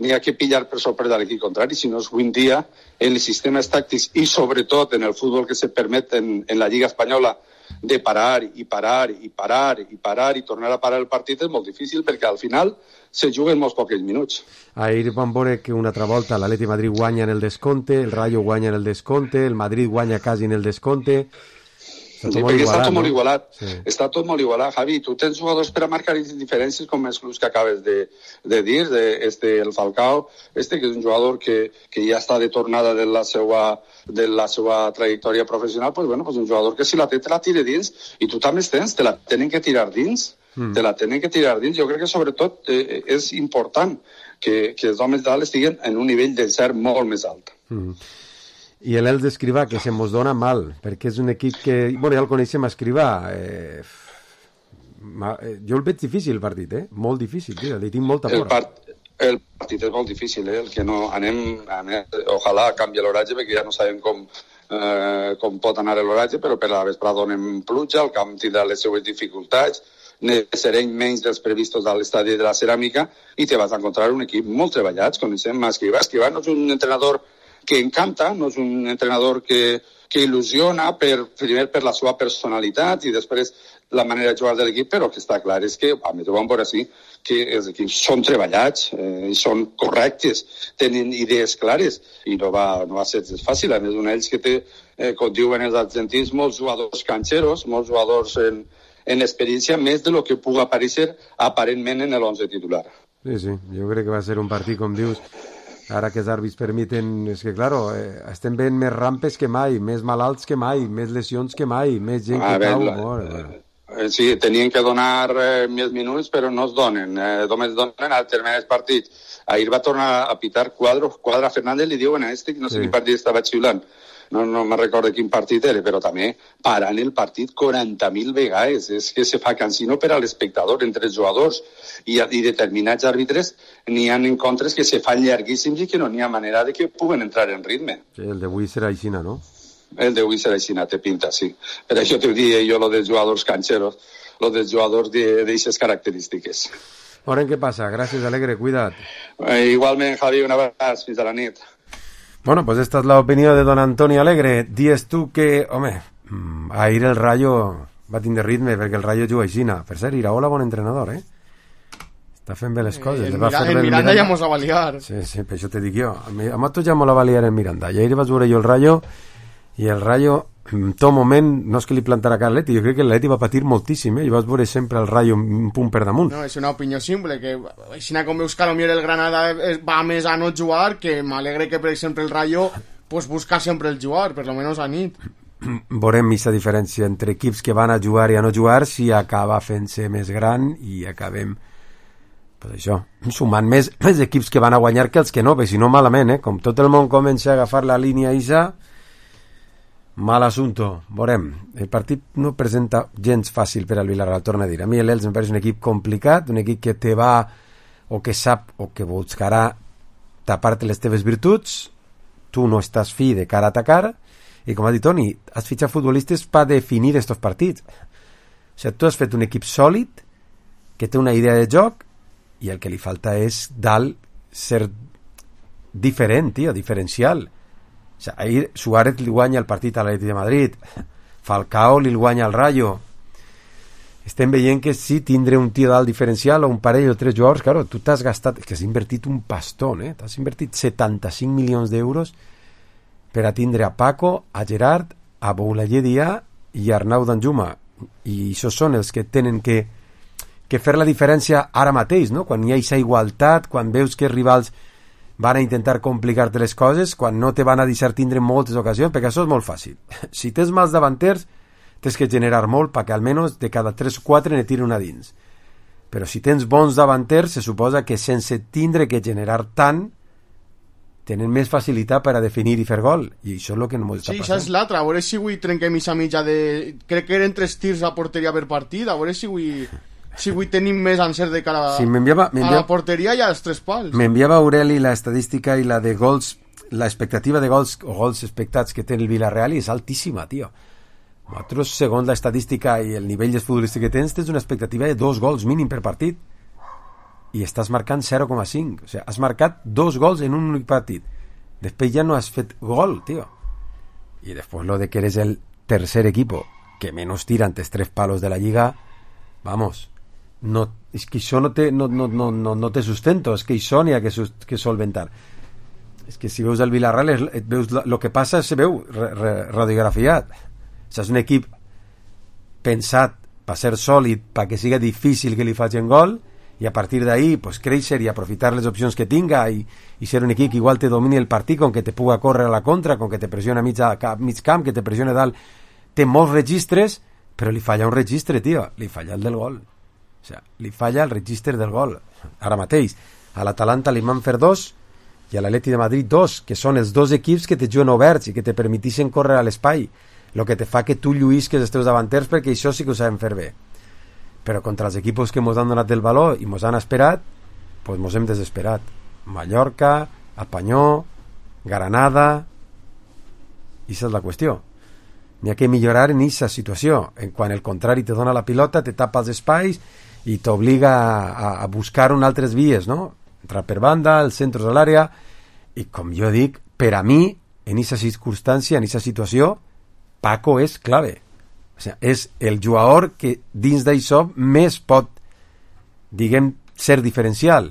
n'hi ha que pillar per sorpresa l'equip contrari, si no és avui dia en els sistemes tàctics i sobretot en el futbol que se permet en, en la Lliga Espanyola de parar i parar i parar i parar i tornar a parar el partit és molt difícil perquè al final se juguen molts pocs minuts. Ahir vam veure que una altra volta l'Atleti de Madrid guanya en el descompte, el Rayo guanya en el descompte, el Madrid guanya quasi en el descompte. Està sí, tot molt igualat, està tot no? molt igualat. Sí. Està tot molt igualat, Javi. Tu tens jugadors per a marcar les diferències com els clubs que acabes de, de dir, de este, el Falcao, este que és un jugador que, que ja està de tornada de la seva, de la seva trajectòria professional, pues, bueno, pues un jugador que si la té te la tira dins i tu també tens, te la tenen que tirar dins, mm. te la tenen que tirar dins. Jo crec que sobretot eh, és important que, que els homes dalt estiguen en un nivell de ser molt més alt. Mm. I l'Elx d'Escrivà, que se mos dona mal, perquè és un equip que... Bueno, ja el coneixem a Escrivà. Eh, jo el veig difícil, el partit, eh? Molt difícil, tio, li tinc molta por. El, part, el partit és molt difícil, eh? El que no... Anem... anem ojalà canvia l'horatge, perquè ja no sabem com, eh, com pot anar l'horatge, però per la vesprada donem pluja, el camp tindrà les seues dificultats, serem menys dels previstos a l'estadi de la Ceràmica, i te vas a encontrar un equip molt treballat, coneixem a Escrivà. Escrivà no és un entrenador que encanta, no és un entrenador que, que il·lusiona per, primer per la seva personalitat i després la manera de jugar de l'equip, però que està clar és que, a més ho vam veure així, que els equips són treballats, eh, són correctes, tenen idees clares i no va, no va ser fàcil. A més, un d'ells que té, eh, com diuen els argentins, molts jugadors canxeros, molts jugadors en, en experiència, més de lo que pugui aparèixer aparentment en l'onze titular. Sí, sí, jo crec que va ser un partit, com dius, ara que els àrbits permiten, és que, claro, eh, estem veient més rampes que mai, més malalts que mai, més lesions que mai, més gent que cau. La, bueno. eh, sí, tenien que donar eh, més minuts, però no es donen, eh, només donen al terminar els partits. Ahir va tornar a pitar Quadro, Quadra Fernández, li diuen a este, que no sé sí. quin partit estava xiulant. No, no me recordo quin partit era, però també parant el partit quaranta mil vegades. És que se fa cansino per a l'espectador entre els jugadors i, i determinats àrbitres. N'hi ha encontres que se fan llarguíssims i que no n'hi ha manera de que puguen entrar en ritme. Sí, el d'avui serà aixina, no? El d'avui serà aixina, te pinta, sí. Per això te diria jo lo dels jugadors canxeros, lo dels jugadors d'aixes característiques. Veurem què passa. Gràcies, Alegre, cuida't. Eh, igualment, Javi, una vegada, fins a la nit. Bueno, pues esta es la opinión de don Antonio Alegre. Dies tu que, home, ahir el Rayo va tindre ritme perquè el Rayo juga aixina. Per cert, Iraola, bon entrenador, eh? Està fent bé les coses. El, el, Mira, el Miranda ja mos va baliar. Sí, sí, per això te dic jo. A nosaltres ja mos la va liar el Miranda. I ahir vaig veure jo el Rayo, i el Rayo, en tot moment, no és que li plantarà cara a l'Atleti, jo crec que l'Atleti va patir moltíssim, eh? I vas veure sempre el Rayo un punt per damunt. No, és una opinió simple, que així com veus que potser el Granada va més a no jugar, que m'alegre que, per exemple, el Rayo pues, busca sempre el jugar, per lo menos a nit. Veurem aquesta diferència entre equips que van a jugar i a no jugar, si acaba fent-se més gran i acabem, pues això, sumant més, més equips que van a guanyar que els que no, perquè si no malament, eh? Com tot el món comença a agafar la línia isa, mal assunto. Veurem, el partit no presenta gens fàcil per al Villarreal, torna a dir. A mi l'Elx em pareix un equip complicat, un equip que te va, o que sap, o que buscarà tapar-te les teves virtuts, tu no estàs fi de cara a atacar, i com ha dit Toni, has fitxat futbolistes per definir estos partits. O sigui, tu has fet un equip sòlid, que té una idea de joc, i el que li falta és dalt ser diferent, tio, diferencial. O sigui, ahir Suárez li guanya el partit a l'Atleti de Madrid, Falcao li guanya al Rayo. Estem veient que sí, tindre un tio dalt diferencial o un parell o tres jugadors, claro, tu t'has gastat, és que has invertit un pastón, eh? T'has invertit setanta-cinc milions d'euros per a tindre a Paco, a Gerard, a Boulaye Dia i a Arnau Danjuma, i això són els que tenen que, que fer la diferència ara mateix, no? Quan hi ha aquesta igualtat, quan veus que els rivals van a intentar complicar-te les coses, quan no te van a deixar tindre moltes ocasions, perquè això és molt fàcil. Si tens mals davanters, tens que generar molt perquè almenys de cada tres o quatre ne tiri una dins. Però si tens bons davanters, se suposa que sense tindre que generar tant, tenen més facilitat per a definir i fer gol, i això és el que no m'ho està sí, passant. Sí, això és l'altre, a veure si avui trenquem aquesta mitja de... Crec que eren tres tirs a porteria per partit, a veure si avui... Si avui tenim més encert de cara sí, m'enviava, m'enviava, a la porteria i als tres pals. M'enviava Aureli la estadística i la de gols, la expectativa de gols o gols expectats que té el Villarreal i és altíssima, tio. Nosaltres, segons la estadística i el nivell de futbolista que tens, tens una expectativa de dos gols mínim per partit i estàs marcant zero coma cinc. O sigui, has marcat dos gols en un únic partit. Després ja no has fet gol, tio. I després lo de que eres el tercer equipo que menos tira antes tres palos de la Lliga, vamos... No, és que això no té, no, no, no, no, no té sustento, és que això n'hi ha que, que solventar. És que si veus el Villarreal, és, veus el que passa se veu re, re, radiografiat. O sigui, és un equip pensat per ser sòlid, perquè siga difícil que li facin gol, i a partir d'ahí pues, créixer i aprofitar les opcions que tinga i, i ser un equip que igual te domini el partit, com que te puga córrer a la contra, com que te pressiona a mig, a mig camp, que te pressiona dalt. Té molts registres, però li falla un registre, tio, li falla el del gol. O sigui, li falla el registre del gol ara mateix. A l'Atalanta li van fer dos i a l'Atleti de Madrid dos, que són els dos equips que te juguen oberts i que te permetixen córrer a l'espai, el que te fa que tu lluïsques els teus davanters, perquè això sí que ho saben fer bé. Però contra els equipos que mos han donat el valor i mos han esperat, pues mos hem desesperat. Mallorca, Apanyó, Granada, i aquesta és la qüestió. N'hi ha que millorar en aquesta situació, en quan el contrari te dona la pilota, te tapa els espais i t'obliga a, a buscar un altres vies, no? Entrar per banda, els centres a l'àrea, i com jo dic, per a mi, en aquesta circumstància, en aquesta situació, Paco és clave. O sigui, és el jugador que dins d'això més pot, diguem, ser diferencial.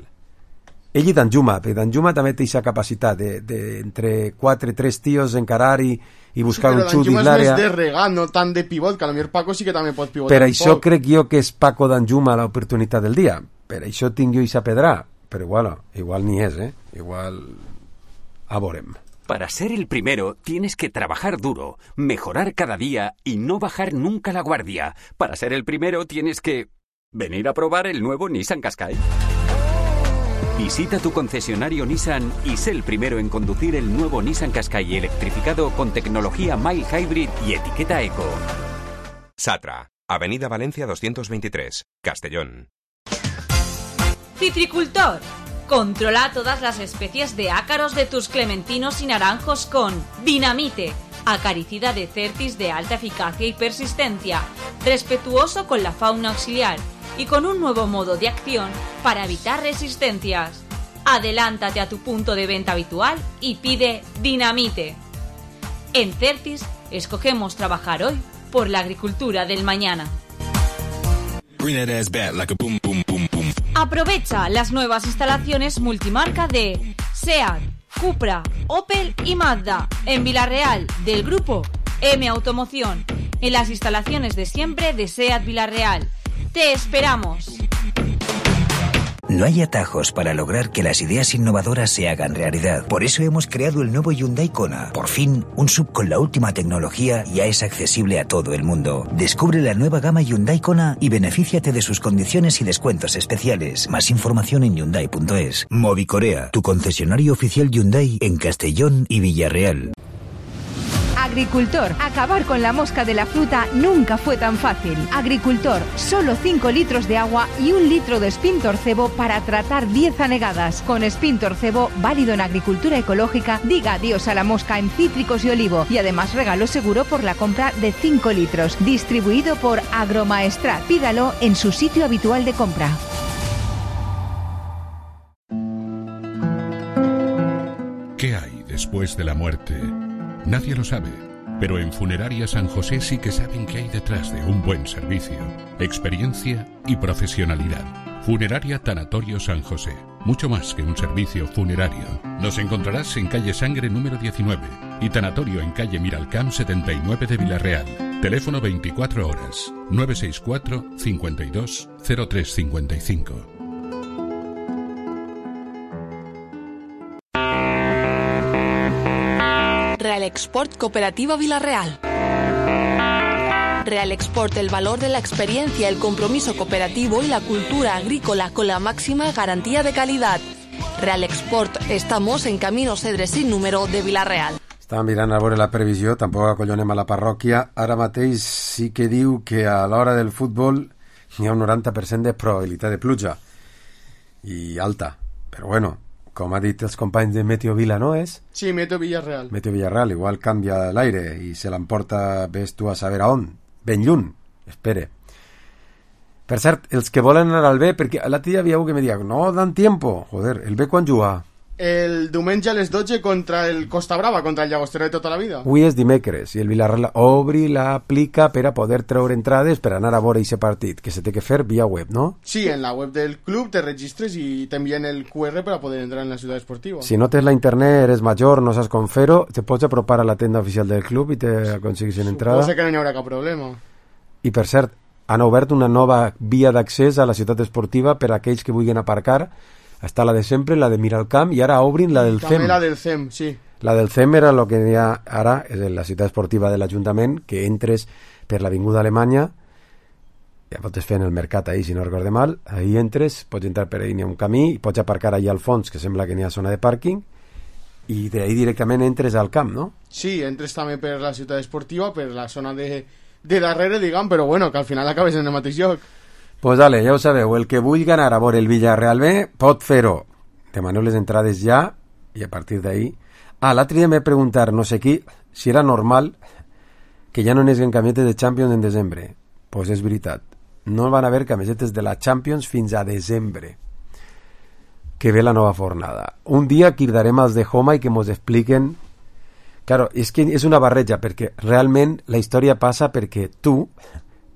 Ell i Danjuma, perquè Danjuma també té aquesta capacitat de, de entre quatre, tres tios encarar i, i buscar sí, un xut dins l'àrea. Però Danjuma és més de regat, no tant de pivot, que a lo millor Paco sí que també pot pivotar. Per això crec jo que és Paco Danjuma l'oportunitat del dia. Per això tinc jo aquesta pedra. Però igual, igual ni és, ¿eh? Igual a veurem. Para ser el primero tienes que trabajar duro, mejorar cada día y no bajar nunca la guardia. Para ser el primero tienes que venir a probar el nuevo Nissan Qashqai. Visita tu concesionario Nissan y sé el primero en conducir el nuevo Nissan Qashqai electrificado con tecnología Mild Hybrid y etiqueta Eco. Satra, Avenida Valencia doscientos veintitrés, Castellón. Citricultor. Controla todas las especies de ácaros de tus clementinos y naranjos con Dinamite, acaricida de Certis de alta eficacia y persistencia, respetuoso con la fauna auxiliar y con un nuevo modo de acción para evitar resistencias. Adelántate a tu punto de venta habitual y pide Dinamite. En Certis escogemos trabajar hoy por la agricultura del mañana. Aprovecha las nuevas instalaciones multimarca de SEAT, Cupra, Opel y Mazda en Villarreal del grupo M Automoción, en las instalaciones de siempre de SEAT Villarreal. ¡Te esperamos! No hay atajos para lograr que las ideas innovadoras se hagan realidad. Por eso hemos creado el nuevo Hyundai Kona. Por fin, un sub con la última tecnología ya es accesible a todo el mundo. Descubre la nueva gama Hyundai Kona y benefíciate de sus condiciones y descuentos especiales. Más información en hyundai punto es. Movicorea, tu concesionario oficial Hyundai en Castellón y Villarreal. Agricultor, acabar con la mosca de la fruta nunca fue tan fácil. Agricultor, solo cinco litros de agua y un litro de Spintor Cebo para tratar diez anegadas. Con Spintor Cebo, válido en agricultura ecológica, diga adiós a la mosca en cítricos y olivo. Y además regalo seguro por la compra de cinco litros. Distribuido por Agromaestrat. Pídalo en su sitio habitual de compra. ¿Qué hay después de la muerte? Nadie lo sabe, pero en Funeraria San José sí que saben qué hay detrás de un buen servicio, experiencia y profesionalidad. Funeraria Tanatorio San José, mucho más que un servicio funerario. Nos encontrarás en calle Sangre número diecinueve y Tanatorio en calle Miralcamp setenta y nueve de Villarreal. Teléfono veinticuatro horas, nueve seis cuatro, cincuenta y dos, cero tres cincuenta y cinco. Real Export Cooperativa Villarreal. Real Export, el valor de la experiencia, el compromiso cooperativo y la cultura agrícola con la máxima garantía de calidad. Real Export, estamos en Camino Cedre sin número de Villarreal. Estava mirant a veure la previsió, tampoc acollonem a la parròquia. Ara mateix sí que diu que a l'hora del futbol hi ha un noranta per cent de probabilitat de pluja. I alta. Però bueno, com ha dit els companys de Meteo Vila, no és? Sí, Meteo Villarreal. Meteo Villarreal, igual canvia l'aire i se l'emporta, ves tu a saber a on. Ben lluny, espere. Per cert, els que volen anar al B, perquè l'altre dia havia un que me deia, no dan tiempo. Joder, el B quan juga? El diumenge a les dotze contra el Costa Brava, contra el Llagostera de tota la vida. Avui és dimecres i el Villarreal obri l'aplica per a poder treure entrades per anar a veure aquest partit, que se té que fer via web, ¿no? Sí, en la web del club te registres y te envían el cu erre para poder entrar en la ciudad esportiva. Si no tens la internet, eres major, no saps com fer-ho, te pots apropar a la tenda oficial del club i te aconseguis una entrada. Suposo que no hi haurà cap problema. I per cert, han obert una nova via d'accés a la ciutat esportiva per a aquells que vulguin aparcar. Està la de sempre, la de Miralcamp, i ara obrin la del C E M. També la del C E M, sí. La del C E M era el que hi ha ara, és la ciutat esportiva de l'Ajuntament, que entres per l'Avinguda Alemanya, ja pots fer en el mercat ahí, si no recorde mal, ahí entres, pots entrar per ahí, n'hi ha un camí, i pots aparcar allà al fons, que sembla que n'hi ha zona de pàrquing, i d'ahí directament entres al camp, no? Sí, entres també per la ciutat esportiva, per la zona de, de darrere, diguem, però bueno, que al final acabes en el mateix lloc. Pues dale, ja ho sabeu, el que vulgui anar a veure el Villarreal B pot fer-ho. Demaneu les entrades ja i a partir d'ahí... Ah, l'altre dia m'he preguntat, no sé qui, si era normal que ja no n'esguen camisetes de Champions en desembre. Pues és veritat. No van haver camisetes de la Champions fins a desembre, que ve la nova fornada. Un dia cridarem als de Homa i que mos expliquen Claro, és que és una barreja, perquè realment la història passa perquè tu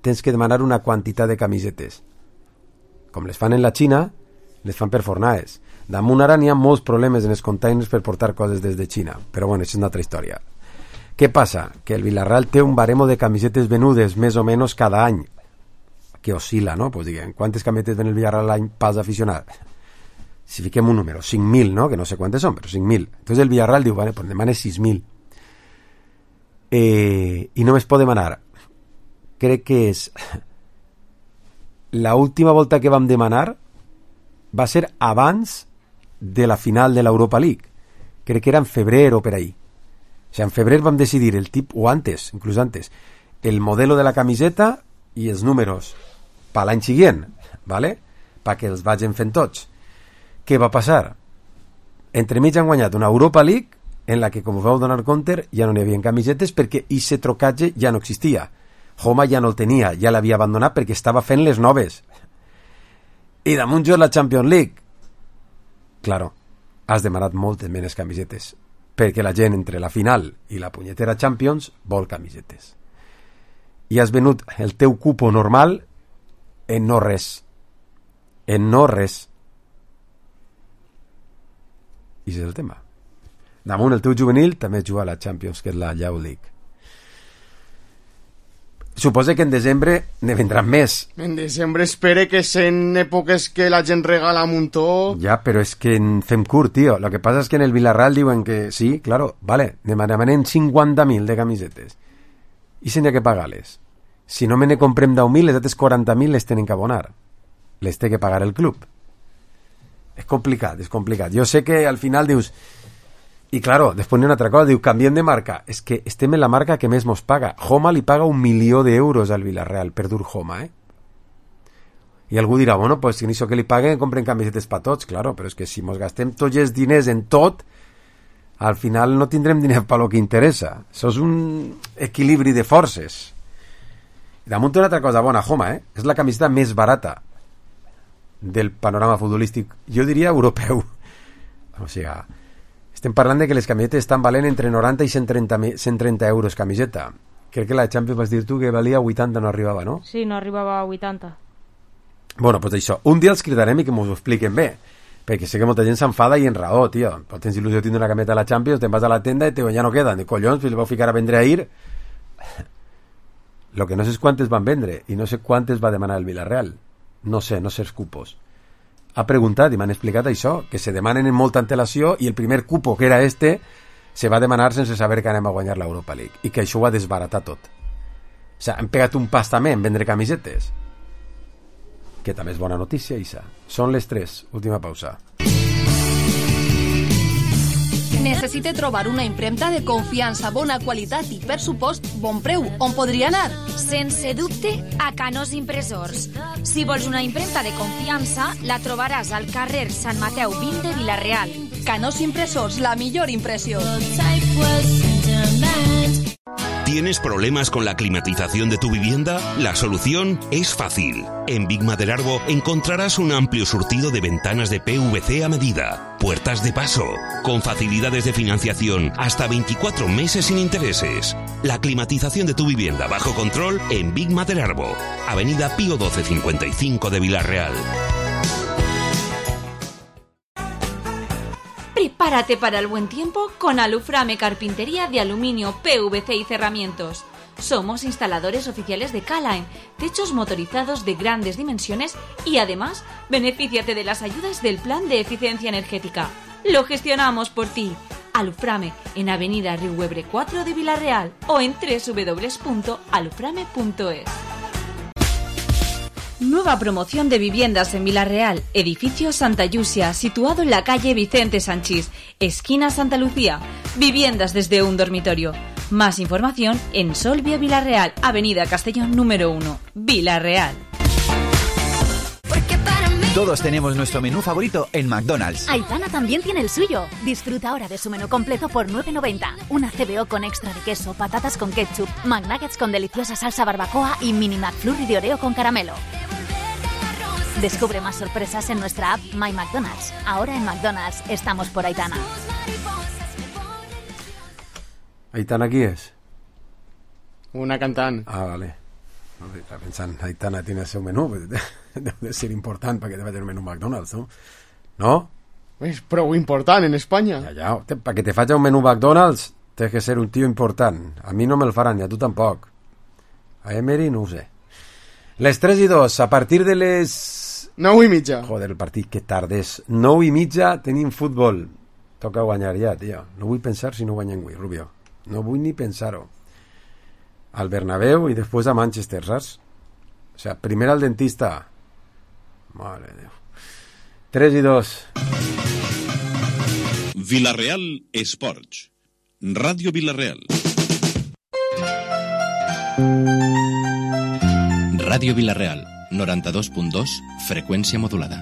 tens que demanar una quantitat de camisetes. Com les fan en la Xina, les fan per fornades. Damunt ara n'hi ha molts problemes en els containers per portar coses des de Xina, però bueno, això és una altra història. Què passa? Que el Villarreal té un baremo de camisetes venudes més o menys cada any, que oscil·la, no? Pues diguem, quantes camisetes ven el Villarreal l'any pas aficionat? Si fiquem un número, cinc mil, no? Que no sé quantes són, però cinc mil. Entonces el Villarreal diu, vale, pues demane sis mil. Eh, I només pot demanar, crec que és la última volta que vam demanar va ser abans de la final de l'Europa League. Crec que era en febrer o per ahí. O sea, en febrer vam decidir el tip, o antes, inclús antes, el modelo de la camiseta i els números per l'any següent, ¿vale? Perquè els vagin fent tots. Què va passar? Entremig han guanyat una Europa League en la que, com us vau donar compte, ja no n'hi havia camisetes perquè aquest trocatge ja no existia. Homa ja no el tenia, ja l'havia abandonat perquè estava fent les noves. I damunt jo la Champions League. Claro, has demanat moltes menys camisetes, perquè la gent entre la final i la punyetera Champions vol camisetes. I has venut el teu cupo normal en no res. En no res. I és el tema. Damunt el teu juvenil també juga a la Champions, que és la Youth League. Suposo que en desembre ne vendran més. En desembre espere que sent èpoques que la gent regala un muntó. Ja, però és que en fem curt, tio. Lo que pasa es que en el Villarreal diuen que sí, claro, vale, demanem cinquanta mil de camisetes. I se n'hi ha que pagar-les. Si no me ne comprem deu mil, les altres quaranta mil les tenen que abonar. Les té que pagar el club. És complicat, és complicat. Jo sé que al final dius... I claro, després n'hi ha una altra cosa, diu, canviem de marca. És que estem en la marca que més mos paga. Homa li paga un milió d'euros al Villarreal per dur Homa, eh? I algú dirà, bueno, pues si això que li paguen compren camisetes per tots, claro, però és que si mos gastem tots els diners en tot, al final no tindrem diners per lo que interessa. Això és un equilibri de forces. I damunt una altra cosa bona, Homa, eh? És la camiseta més barata del panorama futbolístic, jo diria europeu. O sigui, estem parlant de que les camisetes estan valent entre noranta i cent trenta, cent trenta euros camiseta. Crec que la Champions vas dir tu que valia vuitanta, no arribava, no? Sí, no arribava a vuitanta. Bueno, doncs això. Un dia els cridarem i que m'ho expliquen bé, perquè sé que molta gent s'enfada i en raó, tio. Però tens il·lusió de tindre una camiseta a la Champions, te'n vas a la tenda i te ja no queden. De collons, li vau ficar a vendre ahir. Lo que no sé és quantes van vendre i no sé quantes va demanar el Villarreal. No sé, no sé els cupos. Ha preguntat i m'han explicat això, que se demanen en molta antelació i el primer cupo, que era este, se va demanar sense saber que anem a guanyar l'Europa League i que això ho ha desbaratat tot. O sigui, han pegat un pas també en vendre camisetes, que també és bona notícia, Isa. Són les tres, última pausa. Necessita trobar una impremta de confiança, bona qualitat i, per supost, bon preu. On podria anar? Sense dubte, a Canós Impressors. Si vols una impremta de confiança, la trobaràs al carrer Sant Mateu vint de Vila-real. Canós Impressors, la millor impressió. ¿Tienes problemas con la climatización de tu vivienda? La solución es fácil. En Big Maderarbo encontrarás un amplio surtido de ventanas de P V C a medida, puertas de paso, con facilidades de financiación hasta veinticuatro meses sin intereses. La climatización de tu vivienda bajo control en Big Maderarbo, Avenida Pío doce cincuenta y cinco de Vila-real. Prepárate para el buen tiempo con Aluframe Carpintería de Aluminio, P V C y Cerramientos. Somos instaladores oficiales de K-Line, techos motorizados de grandes dimensiones y además benefíciate de las ayudas del Plan de Eficiencia Energética. Lo gestionamos por ti. Aluframe en Avenida Riuebre cuatro de Vila-real o en doble u doble u doble u punto aluframe punto es. Nueva promoción de viviendas en Vila-real, edificio Santa Yusia, situado en la calle Vicente Sanchís, esquina Santa Lucía. Viviendas desde un dormitorio. Más información en Solvia Vila-real, Avenida Castellón número uno, Vila-real. Todos tenemos nuestro menú favorito en McDonald's. Aitana también tiene el suyo. Disfruta ahora de su menú completo por nueve noventa. Una C B O con extra de queso, patatas con ketchup, McNuggets con deliciosa salsa barbacoa y mini McFlurry de Oreo con caramelo. Descubre más sorpresas en nuestra app My McDonald's. Ahora en McDonald's estamos por Aitana. Aitana qui és? Una cantant. Ah, vale. No, estava pensant, Aitana tiene el seu menú, deu de ser important perquè te faci un menú McDonald's, no? No? És prou important en Espanya. Ja, ja, te, perquè te faci un menú McDonald's tens que ser un tio important. A mi no me'l faran, i a tu tampoc. A Emery no ho sé. Les tres i dos, a partir de les... nou i mitja. Joder, el partit que tardes. nou i mitja tenim futbol. Toca guanyar ja, tio. No vull pensar si no guanyem avui, Rubio. No vull ni pensar-ho. Al Bernabéu i després a Manchester, saps? O sea, primer al dentista. Mare de Déu. tres i dos. Villarreal Esports. Ràdio Villarreal. Ràdio Villarreal, noranta-dos punt dos, freqüència modulada.